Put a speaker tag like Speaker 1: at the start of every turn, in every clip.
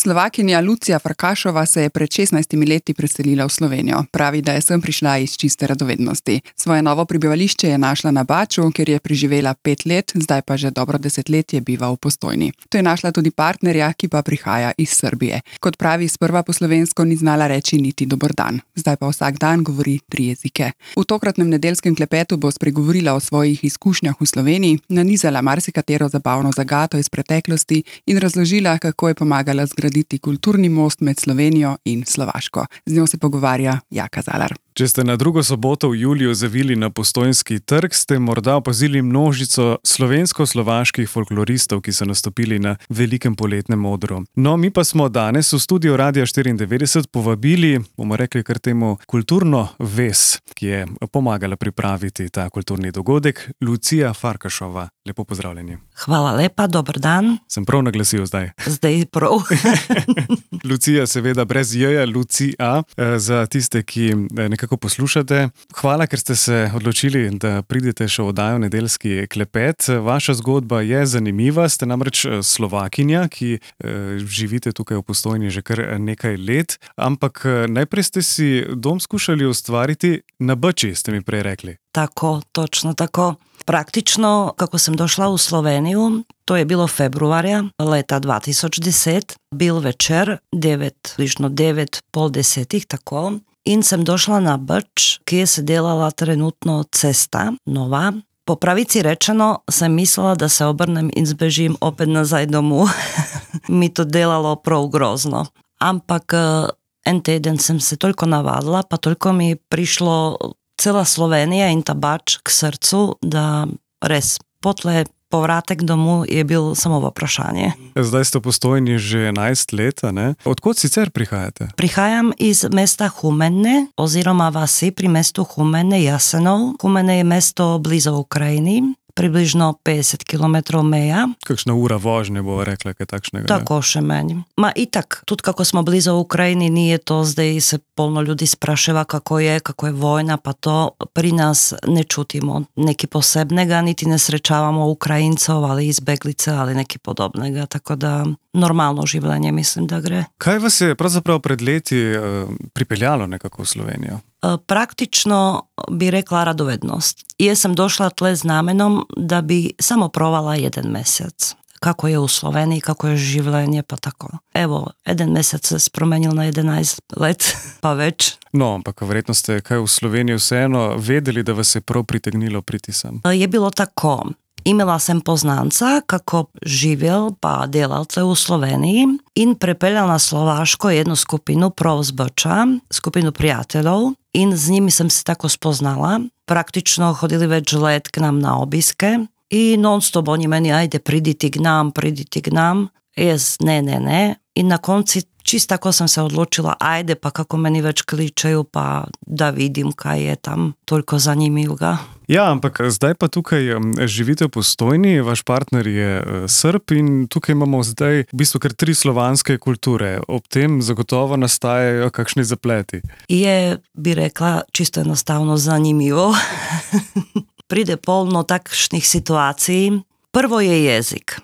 Speaker 1: Slovakinja Lucija Farkašova se je pred 16 leti preselila v Slovenijo. Pravi, da je sem prišla iz čiste radovednosti. Svoje novo prebivališče je našla na Baču, kjer je preživela 5 let, zdaj pa že dobro 10 let je biva v Postojni. To je našla tudi partnerja, ki pa prihaja iz Srbije. Kot pravi, sprva po slovensko ni znala reči niti dober dan. Zdaj pa vsak dan govori 3 jezike. V tokratnem nedeljskem klepetu bo spregovorila o svojih izkušnjah v Sloveniji, nanizala marsikatero zabavno zagato iz preteklosti in razložila, kako je pomagala zgraditi kulturni most med Slovenijo in Slovaško. Z njo se pogovarja Jaka Zalar.
Speaker 2: Če ste na drugo soboto v juliju zavili na Postojnski trg, ste morda opazili množico slovensko-slovaških folkloristov, ki so nastopili na velikem poletnem odru. No, mi pa smo danes v studiu Radia 94 povabili, bomo rekli kar temu, kulturno ves, ki je pomagala pripraviti ta kulturni dogodek, Lucija Farkašova. Lepo pozdravljeni.
Speaker 3: Hvala lepa, dober dan.
Speaker 2: Sem prav naglasil zdaj?
Speaker 3: Zdaj prav.
Speaker 2: Lucija, seveda brez J-ja, Lucija, za tiste, ki nekako poslušate. Hvala, ker ste se odločili, da pridete še v oddajo Nedeljski klepet. Vaša zgodba je zanimiva, ste namreč Slovakinja, ki živite tukaj v Postojni že kar nekaj let, ampak najprej ste si dom skušali ustvariti na Bači, ste mi prej rekli.
Speaker 3: Tako, točno tako. Praktično, kako sam došla u Sloveniju, to je bilo februarja leta 2010, bil večer, bližno 9, pol 10, tako. In sem došla na Bač, kje se delala trenutno cesta, nova. Po pravici rečeno sam mislila da se obrnem in zbežim opet nazaj domu. Mi to delalo prav grozno. Ampak en teden sem se toliko navadila, pa toliko mi prišlo cela Slovenija in ta Bač k srcu, da res potle povratek domu je bil samo vprašanje.
Speaker 2: Zdaj ste v Postojni že 11 let, ne? Odkot sicer prihajate?
Speaker 3: Prihajam iz mesta Humenne, oziroma vasi pri mestu Humenne, Jasenov. Humenne je mesto blizu Ukrajini, približno 50 km meja.
Speaker 2: Kakšna ura vožnje bo rekla, kaj takšnega?
Speaker 3: Tako še meni. Ma itak, tudi kako smo blizu Ukrajini, nije to, zdaj se polno ljudi spraševa kako je vojna, pa to pri nas ne čutimo neki posebnega, niti ne srečavamo Ukrajincov, ali izbeglice, ali neki podobnega, tako da normalno življenje mislim da gre.
Speaker 2: Kaj vas je pravzaprav pred leti pripeljalo nekako v Slovenijo?
Speaker 3: Praktično bi rekla radovednost. Jaz sam došla tle z namenom da bi samo provala 1 mjesec. Kako je u Sloveniji, kako je življenje, pa tako. Evo, 1 mjesec se spromenil na 11 let, pa več.
Speaker 2: No, ampak verjetno ste kaj v Sloveniji vseeno vedeli, da vas je prav pritegnilo priti sem?
Speaker 3: Je bilo tako. Imela sam poznanca kako živjel pa delal tle u Sloveniji in prepeljal na Slovaško jednu skupinu prav z Bača, skupinu prijateljov in z njimi sam se tako spoznala. Praktično hodili već let k nam na obiske i non stop oni meni ajde priditi k nam. Jes, ne. I na konci čisto tako sam se odlučila, ajde pa kako meni već kličeju pa da vidim kaj je tam, toliko zanimivega.
Speaker 2: Ja, ampak zdaj pa tukaj živite v Postojni, vaš partner je Srb in tukaj imamo zdaj v bistvu kar 3 slovanske kulture. Ob tem zagotovo nastajajo kakšni zapleti.
Speaker 3: Je, bi rekla, čisto enostavno zanimivo. Pride polno takšnih situacij. Prvo je jezik.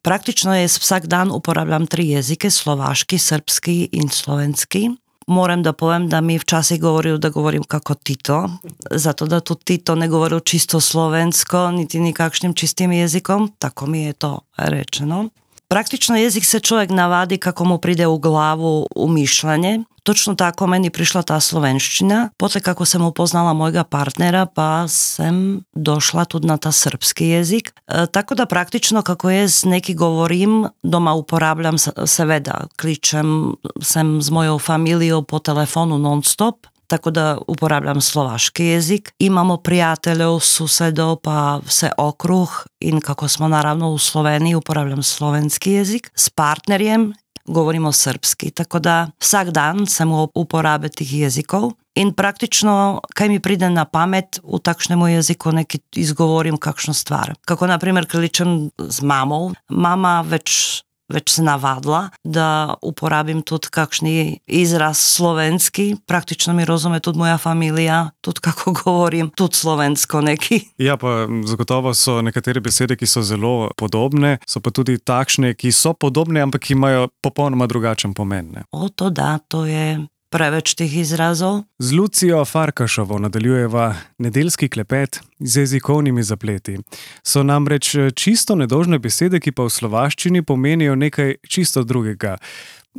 Speaker 3: Praktično jaz vsak dan uporabljam 3 jezike, slovaški, srpski in slovenski. Moram da povem da mi včasih govorijo da govorim kako Tito, zato da tu Tito ne govorio čisto slovensko, niti nikakšnim čistim jezikom, tako mi je to rečeno. Praktično jezik se čovjek navadi kako mu pride u glavu u mišljenje. Točno tako meni prišla ta slovenščina. Potle kako sam upoznala mojega partnera pa sam došla tu na ta srpski jezik. Tako da praktično kako jaz neki govorim, doma uporabljam seveda, kličem sem z mojou familijou po telefonu non stop. Tako da uporabljam slovaški jezik. Imamo prijateljev, susedov, pa vse okruh in kako smo naravno u Sloveniji uporabljam slovenski jezik. S partnerjem govorimo srpski, tako da vsak dan sem v uporabe tih jezikov in praktično kaj mi pride na pamet u takšnemu jeziku neki izgovorim kakšno stvar. Kako na primjer kličem z mamou. Mama već već se navadla da uporabim tut kakšni izraz slovenski. Praktično mi razume tudi moja familija, tudi kako govorim, tudi slovensko neki.
Speaker 2: Ja, pa zagotovo so nekatere besede, ki so zelo podobne, so pa tudi takšne, ki so podobne, ampak imajo popolnoma drugačen pomen. Ne?
Speaker 3: To da, to je preveč teh izrazov.
Speaker 2: Z Lucijo Farkašovo nadaljujeva nedeljski klepet z jezikovnimi zapleti. So namreč čisto nedolžne besede, ki pa v slovaščini pomenijo nekaj čisto drugega.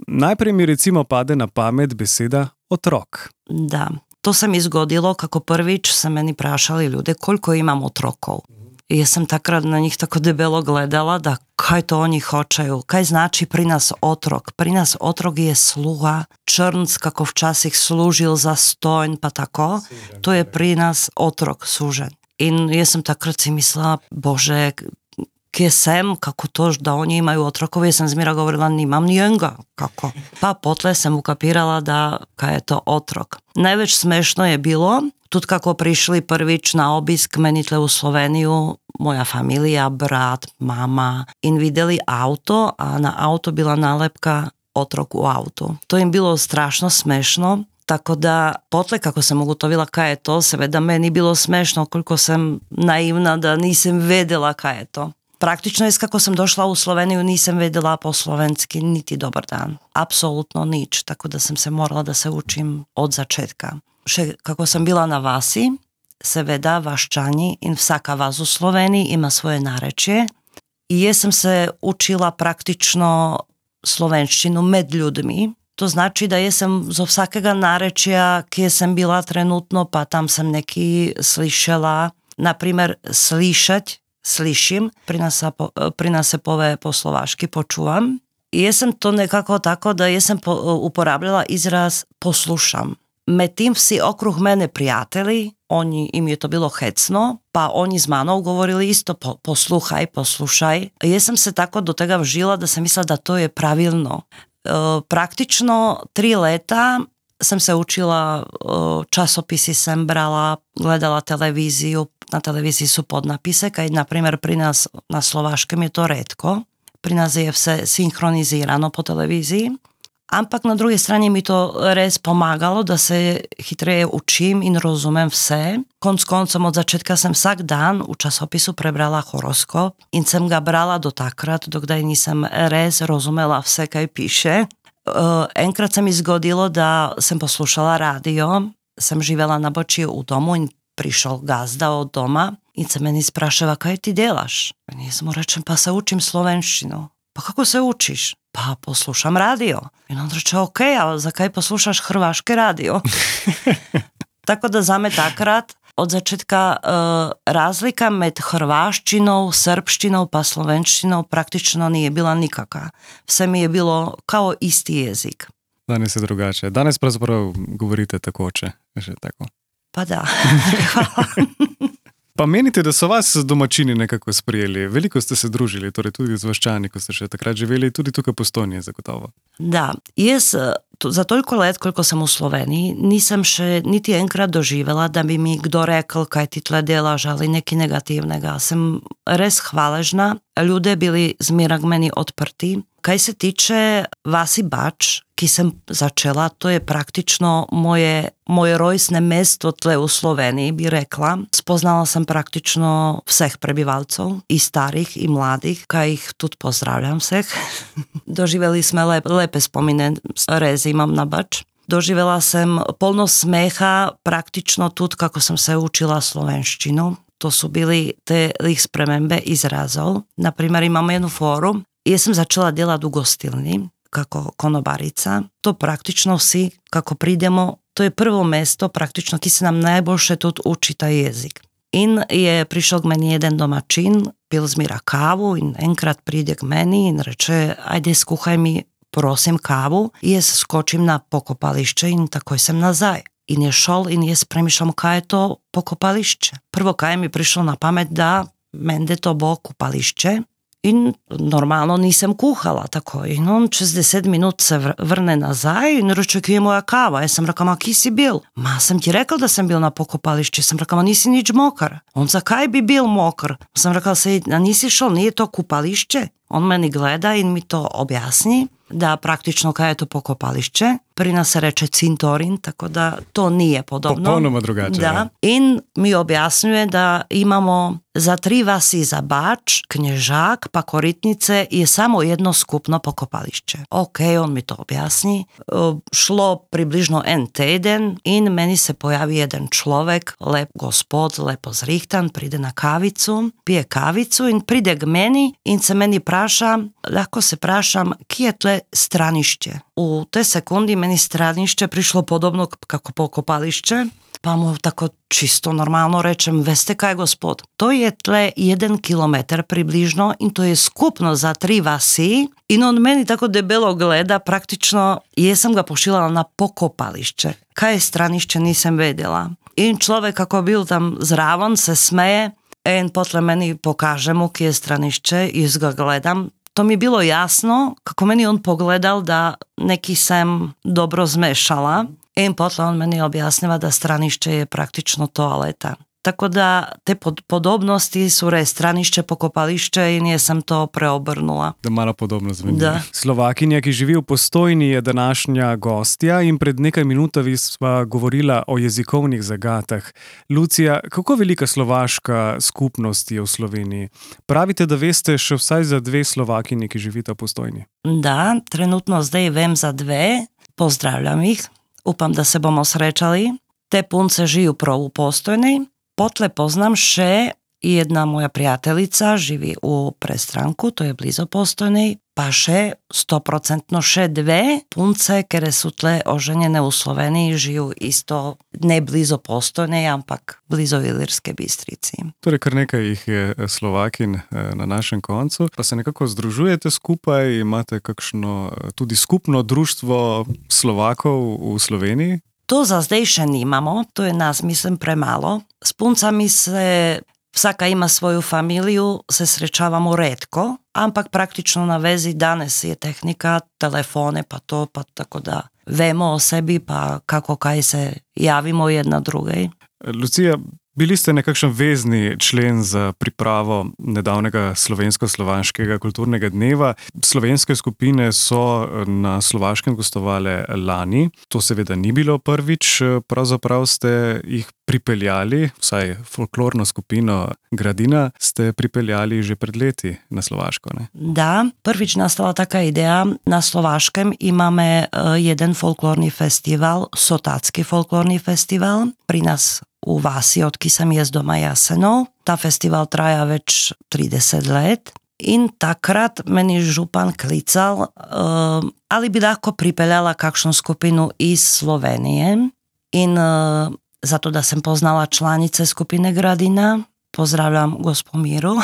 Speaker 2: Najprej mi recimo pade na pamet beseda otrok.
Speaker 3: Da, to se mi zgodilo, kako prvič se meni prašali ljude, koliko imam otrokov. I ja sam takrat na njih tako debelo gledala da kaj to oni hočeju, kaj znači pri nas otrok. Pri nas otrok je sluga, črnc kako včasih služil za stojn pa tako, to je pri nas otrok, sužen. In ja sam takrat si mislila, bože, kje sem, kako to, da oni imaju otrokov, ja sam zmira govorila, nimam nijenga, kako. Pa potle sam ukapirala da kaj je to otrok. Najveć smešno je bilo, tudi kako prišli prvič na obisk menitle u Sloveniju, moja familija, brat, mama, in videli auto, a na auto bila nalepka otrok u autu. To im bilo strašno smešno, tako da potle kako sam ugotovila kaj je to, seveda meni bilo smešno koliko sam naivna da nisam vedela kaj je to. Praktično je kako sam došla u Sloveniju nisam vedela po slovenski niti dobar dan. Apsolutno nič, tako da sam se morala da se učim od začetka. Še kako sam bila na vasi, seveda vaščani in vsaka vas u Sloveniji ima svoje narečje i jesam se učila praktično slovenščinu med ljudmi. To znači da jesam zo vsakega narečja, kje sam bila trenutno, pa tam sam neki slišela, naprimer slišať, slišim, pri nas se pove po slovaški počuvam. I jesam to nekako tako da jesam uporabljala izraz poslušam. Metim vsi okruh mene prijatelji, im je to bilo hecno, pa oni z manou govorili isto poslušaj. Jesam se tako do tega vžila da sam mislila da to je pravilno. Praktično 3 leta sam se učila, časopisi sam brala, gledala televiziju, na televiziji su podnapise, kaj na primjer pri nas na slovaškem je to retko, pri nas je vse sinhronizirano po televiziji, ampak na druge strani mi to res pomagalo da se hitreje učim in rozumem vse. Konc koncom od začetka sam vsak dan u časopisu prebrala horoskop in sam ga brala do takrat, dokdaj nisam res rozumela vse kaj piše. Enkrat se mi zgodilo da sam poslušala radio, sam živela na Bočiju u domu i prišel gazda od doma i se meni sprašava kaj ti delaš? Ja sam mu rečem pa se učim slovenštinu. Pa kako se učiš? Pa poslušam radio. I on reče, ok, a za kaj poslušaš hrvaške radio? Tako da za me takrat od začetka razlika med hrvaščinou, srpštinou pa slovenštinou praktično nije bila nikaka. Vse mi je bilo kao isti jezik.
Speaker 2: Danes je drugače. Danes pravzaprav govorite takoče. Že tako.
Speaker 3: Pa da. Hvala.
Speaker 2: Pa menite, da so vas domačini nekako sprijeli? Veliko ste se družili, torej tudi z vaščani, ko ste še takrat živeli, tudi tukaj po Stonji, zagotovo.
Speaker 3: Da, jaz za toliko let, koliko sam u Sloveniji, nisam še niti enkrat doživela da bi mi kdo rekl kaj ti tle delaš, ali neki negativnega. Sam res hvaležna, ljude bili zmira k meni odprti. Kaj se tiče Vasi Bač, ki sam začela, to je praktično moje rojsne mesto tle u Sloveniji, bi rekla. Spoznala sam praktično vseh prebivalcov, i starih, i mladih, kaj ih tu pozdravljam vseh. Doživeli sme lepe spomine, res imam na Bač. Doživela sam polno smeha praktično tu kako sam se učila slovenštinu. To su bili te ih spremembe izrazov. Naprimjer, imamo jednu foru. Ja sam začela delati u gostilni, kako konobarica. To praktično vsi, kako pridemo, to je prvo mesto, praktično, ki se nam najboljše tu uči taj jezik. In je prišel k meni jeden domačin, pil zmira kavu in enkrat pride k meni in reče, ajde skuhaj mi, prosim, kavu. I jaz skočim na pokopališče in takoj sam nazaj. In je šol in jaz premišljam kaj je to pokopališče. Prvo kaj mi prišlo na pamet da mende to bo kupališče, In normalno nisam kuhala tako. In on 60 minut se vrne nazaj in reče, kje je moja kava? Ja sam rekla, ma ki si bil? Ma sam ti rekla da sam bil na pokopališću. Sam rekla, ma nisi nič mokar. On, zakaj bi bil mokar? Sam rekla, a nisi šel, nije to kupališće? On meni gleda in mi to objasni, da praktično kaj je to pokopališće. Pri nas se reče cintorin, tako da to nije podobno.
Speaker 2: Popolnoma drugače.
Speaker 3: Da. In mi objasnjuje da imamo za 3 vasi za Bač, Knježak pa Koritnice je samo jedno skupno pokopališće. Ok, on mi to objasni. Šlo približno en teden in meni se pojavi jedan človek, lep gospod, lepo zrihtan, pride na kavicu, pije kavicu in pride k meni in se meni praša, lahko se prašam, kje je tle stranišće. U te sekundi meni stranišće prišlo podobno kako pokopališće, pa mu tako čisto normalno rečem, veste kaj gospod, to je tle 1 kilometar približno in to je skupno za 3 vasi in on meni tako debelo gleda, praktično jesam ga pošilala na pokopališće. Kaj je stranišće nisam vedela. In človek kako bil tam zraven se smeje in potle meni pokaže mu kje je stranišće i ga gledam. To mi je bilo jasno, kako meni on pogledal da neki sam dobro zmešala i potle on meni objasniva da stranišće je praktično toaleta. Tako da te podobnosti su stranišče, pokopališče in jesam to preobrnula.
Speaker 2: Da malo podobno zveni. Slovakinja, ki živi v Postojni, je današnja gostja in pred nekaj minutami sva govorila o jezikovnih zagatah. Lucija, kako velika slovaška skupnost je v Sloveniji? Pravite, da veste še vsaj za 2 Slovakinji, ki živita v Postojni.
Speaker 3: Da, trenutno zdaj vem za 2. Pozdravljam jih. Upam, da se bomo srečali. Te punce žijú prav u Postojnej. Potle poznam še jedna moja prijateljica, živi u Prestranku, to je blizo Postojnej, pa še 100% še 2 punce, kere su tle oženjene u Sloveniji, žijú isto ne blizo Postojnej, ampak blizo Ilirske Bistrici.
Speaker 2: Torej, kar nekaj jih je Slovakin na našem koncu, pa se nekako združujete skupaj, imate kakšno tudi skupno društvo Slovakov v Sloveniji?
Speaker 3: To za zdaj še nimamo, to je nas, mislim, premalo. S puncami se, vsaka ima svoju familiju, se srečavamo retko, ampak praktično na vezi danes je tehnika, telefone pa to, pa tako da vemo o sebi, pa kako kaj se javimo jedna drugej.
Speaker 2: Lucija, bili ste nekakšen vezni člen za pripravo nedavnega slovensko-slovanskega kulturnega dneva. Slovenske skupine so na Slovaškem gostovale lani. To seveda ni bilo prvič, pravzaprav ste jih pripeljali, vsaj folklorno skupino Gradina, ste pripeljali že pred leti na Slovaško, ne?
Speaker 3: Da, prvič nastala taka ideja. Na Slovaškem imame jeden folklorni festival, Sotatski folklorni festival, pri nas u vasi, odki sam jest doma Jasenov. Ta festival traja već 30 let in takrat meni župan klical, ali bi lahko pripeljala kakšnu skupinu iz Slovenije in zato da sam poznala članice skupine Gradina, pozdravljam Gospomíru,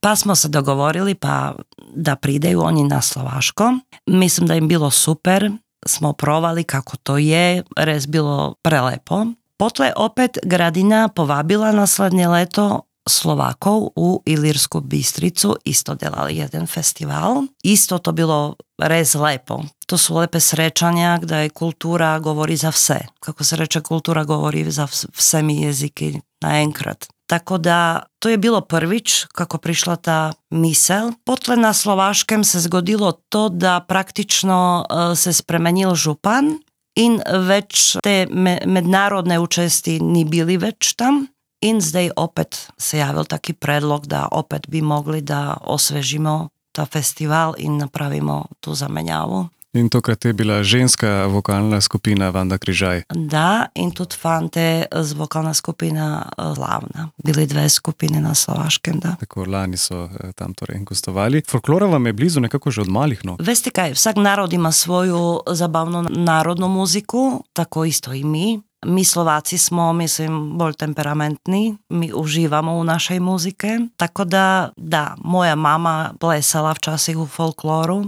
Speaker 3: pa smo se dogovorili pa da prideju oni na Slovaško. Mislim da im bilo super, smo provali kako to je, res bilo prelepo. Potle opet Gradina povabila naslednje leto Slovakov u Ilirsku Bistricu, isto delali jeden festival. Isto to bilo res lepo. To su lepe srećanja gdje kultura govori za vse. Kako se reče, kultura govori za vse mi jeziki naenkrat. Tako da to je bilo prvič kako prišla ta misel. Potle na Slovaškem se zgodilo to da praktično se spremenil župan in već te mednarodne učesti ni bili već tam. In zdaj opet se javil taki predlog da opet bi mogli da osvežimo ta festival in napravimo tu zamenjavu.
Speaker 2: In tokrat je bila ženska vokalna skupina Vanda Križaj.
Speaker 3: Da, in tudi fante z vokalna skupina Lavna. Bili 2 skupine na Slovaškem, da.
Speaker 2: Tako, lani so tam torej gostovali. Folklora vam je blizu nekako že od malih nog.
Speaker 3: Veste kaj, vsak narod ima svoju zabavnu narodnu muziku, tako isto i mi. Mi Slováci smo, mislim, bolj temperamentni, mi užívamo u našej muzike, tako da, moja mama plesala včasih u folkloru,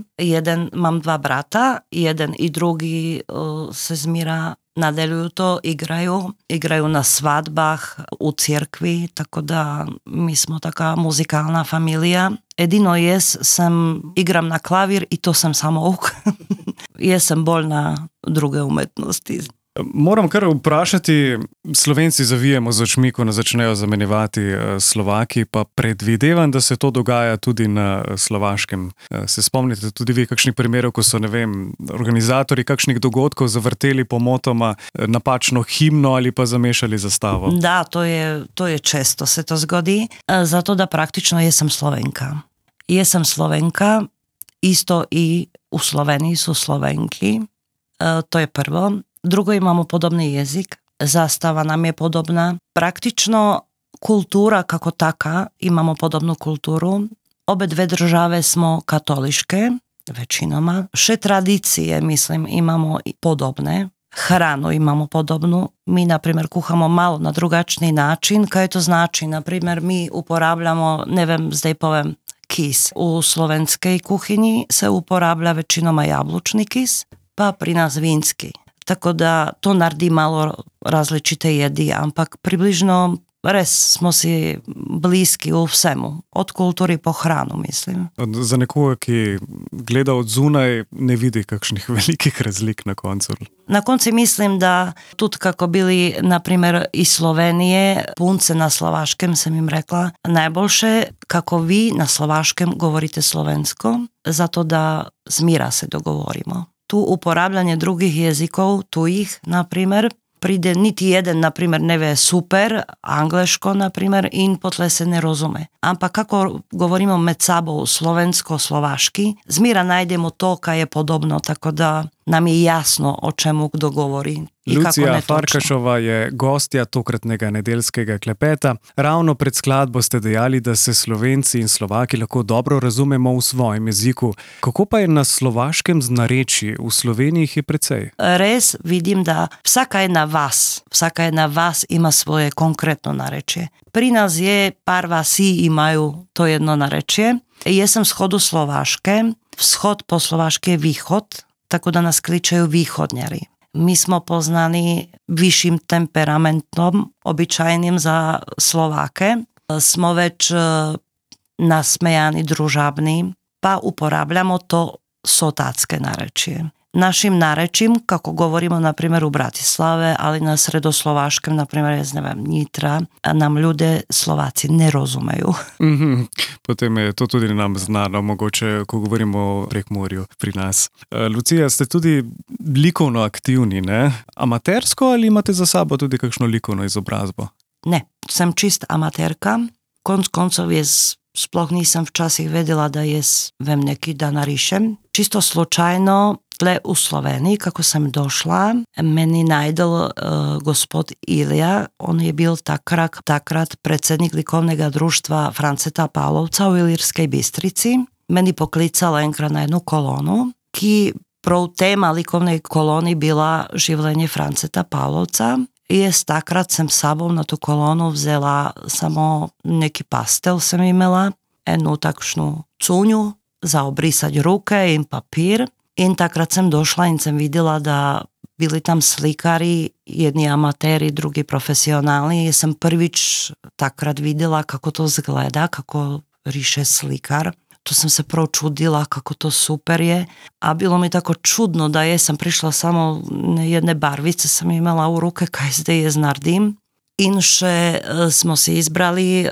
Speaker 3: mám 2 brata, jeden i drugi se zmira nadeľujú to, igrajú na svadbách, u cirkvi, tako da mi smo taká muzikálna familija. Jedino igram na klavir i to sam samouk. Jesam bolj na druge umetnosti.
Speaker 2: Moram kar vprašati, Slovenci zavijemo z očmi, ko nas začnejo zamenjevati Slovaki, pa predvidevam, da se to dogaja tudi na Slovaškem. Se spomnite tudi vi kakšnih primerov, ko so, organizatorji kakšnih dogodkov zavrteli pomotoma napačno himno ali pa zamešali zastavo?
Speaker 3: Da, to je često se to zgodi, zato da praktično jesam Slovenka. Jesam Slovenka, isto i u Sloveniji su Slovenki, to je prvo. Drugo, imamo podobni jezik, zastava nam je podobna. Praktično kultura kako taka, imamo podobnu kulturu. Obe dve države smo katoliške, većinoma. Še tradicije, mislim, imamo podobne. Hranu imamo podobnu. Mi, na primjer, kuhamo malo na drugačni način. Kaj to znači? Na primjer, mi uporabljamo, zdaj povem, kis. U slovenskej kuhinji se uporablja većinoma jablčni kis, pa pri nas vinski. Tako da to naredi malo različite jedi, ampak približno res smo si bliski v vsemu. Od kulturi po hranu, mislim.
Speaker 2: Za nekoga, ki gleda od zunaj, ne vidi kakšnih velikih razlik na koncu.
Speaker 3: Na konci mislim da tudi kako bili, na primjer, iz Slovenije, punce na slovaškem, sam im rekla, najboljše kako vi na slovaškem govorite slovensko, zato da z mira se dogovorimo. Tu uporabljanje drugih jezikov, tujih, na primjer, pride niti jeden, na primjer, ne ve super, angleško, na primjer, in potle se ne razume. Ampak kako govorimo med sabo slovensko-slovaški, zmira najdemo to, kaj je podobno, tako da nam je jasno, o čemu kdo govori.
Speaker 2: Lucija Farkašova je gostja tokratnega nedeljskega klepeta. Ravno pred skladbo ste dejali, da se Slovenci in Slovaki lahko dobro razumemo v svojem jeziku. Kako pa je na slovaškem z narečji? V Sloveniji je precej.
Speaker 3: Res vidim, da vsaka jedna vas ima svoje konkretno narečje. Pri nas je par vasi imajú to jedno narečje. Ja som schodu Slovaške. Vschod po slovaške je východ, tako da nas kličajú východňari. My smo poznani vyšším temperamentom, obyčajným za Slováke. Smo već nasmejani, družabni, pa uporabljamo to sotácké narečie. Našim narečím, kako govorimo na primjer u Bratislave, ali na sredoslovaškem, na primjer, Nitra, nam ljude Slovaci ne razumeju.
Speaker 2: Potem je to tudi nam znano, mogoče, ko govorimo o Prekmurju pri nas. Lucija, ste tudi likovno aktivni, ne? Amatersko ali imate za sabo tudi kakšno likovno izobrazbo?
Speaker 3: Ne, sem čist amaterka. Konc koncov sploh nisam včasih vedela da vem neki da narišem. Čisto slučajno, tle u Sloveniji, kako sam došla, meni najdel gospod Ilija, on je bil takrat predsjednik likovnega društva Franceta Pavlovca u Ilirskej Bistrici. Meni poklicala enkrat na jednu kolonu, ki prav tema likovnej koloni bila življenje Franceta Pavlovca. I takrat sem sabom na tu kolonu vzela samo neki pastel sam imela, jednu takšnu cunju za obrisať ruke in papír. In takrat sam došla in sam videla da bili tam slikari, jedni amatéri, drugi profesionálni. Ja sam prvič takrat videla kako to zgleda, kako riše slikar. To sam se prvo čudila kako to super je. A bilo mi tako čudno da sam prišla samo jedne barvice sam imala u ruke kaj zdaj je znardim. Inše smo se izbrali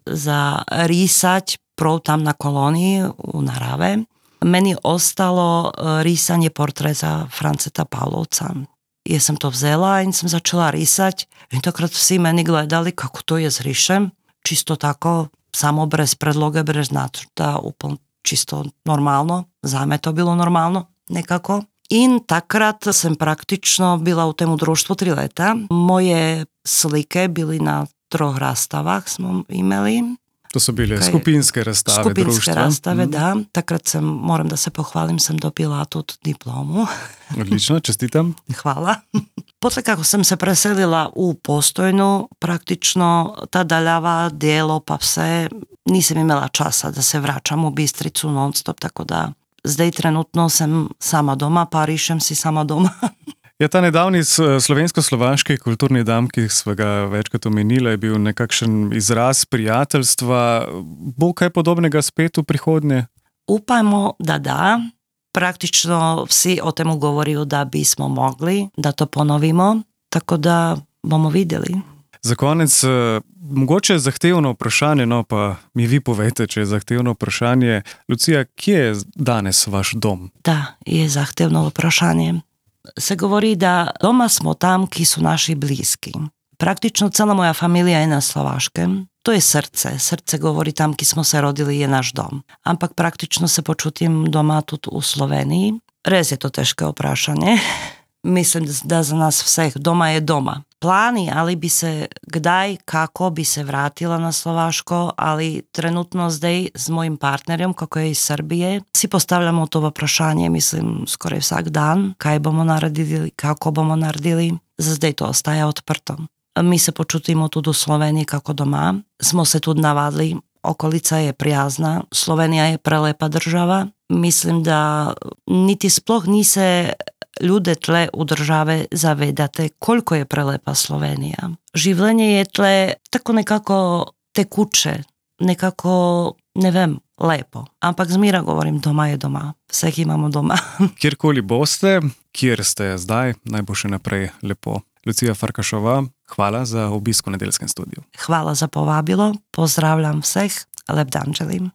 Speaker 3: za risať prvo tam na koloniji u Narave. Meni ostalo risanje portreta Franceta Pavlovca. Ja sam to vzela in sam začala risať. I takrat vsi meni gledali kako to je zrišem. Čisto tako, samo bez predloge, bez nacrta, úplne čisto normálno. Za me to bilo normálno, nekako. In takrat sam praktično bila u temu društvu 3 leta. Moje slike bili na 3 rastavah smo imeli.
Speaker 2: To su bile skupinske rastave
Speaker 3: skupinske
Speaker 2: društva.
Speaker 3: Rastave, da. Takrat moram da se pohvalim, sam dobila tu diplomu.
Speaker 2: Odlično, čestitam.
Speaker 3: Hvala. Potle kako sam se preselila u Postojnu, praktično ta daljava dijelo pa vse, nisam imala časa da se vraćam u Bistricu non stop, tako da zdaj trenutno sam sama doma, pa rišem si sama doma.
Speaker 2: Ja, ta nedavni slovensko-slovaški kulturni dan, ki smo ga večkrat omenili, je bil nekakšen izraz prijateljstva. Bo kaj podobnega spet v prihodnje?
Speaker 3: Upajmo, da. Praktično vsi o temu govorijo, da bismo mogli, da to ponovimo, tako da bomo videli.
Speaker 2: Za konec, mogoče je zahtevno vprašanje, no pa mi vi povejte, če je zahtevno vprašanje. Lucija, kje je danes vaš dom?
Speaker 3: Da, je zahtevno vprašanje. Se govori, da doma smo tam, ki su naši bliski. Praktično cela moja familija je na Slovaškem. To je srce. Srce govori tam, ki smo se rodili, je naš dom. Ampak praktično se počutim doma tudi u Sloveniji. Res je to teško vprašanje. Mislim, da za nas vseh doma je doma. Plani, ali bi se kdaj, kako bi se vratila na Slovaško, ali trenutno zdaj z mojim partnerjem, kako je iz Srbije, si postavljamo to vprašanje, mislim, skoraj vsak dan, kaj bomo naredili, kako bomo naredili. Za zdaj to ostaje odprto. Mi se počutimo tudi u Sloveniji kako doma. Smo se tudi navadili, okolica je prijazna, Slovenija je prelepa država. Mislim, da niti sploh ni se ljude tle u države zavedate koliko je prelepa Slovenija. Življenje je tle tako nekako tekuče, nekako, ne vem, lepo. Ampak zmira govorim, doma je doma. Vseh imamo doma.
Speaker 2: Kjerkoli boste, kjer ste zdaj, naj bo še naprej lepo. Lucija Farkašova, hvala za obisk v Nedeljskem studiu.
Speaker 3: Hvala za povabilo, pozdravljam vseh, lep dan želim.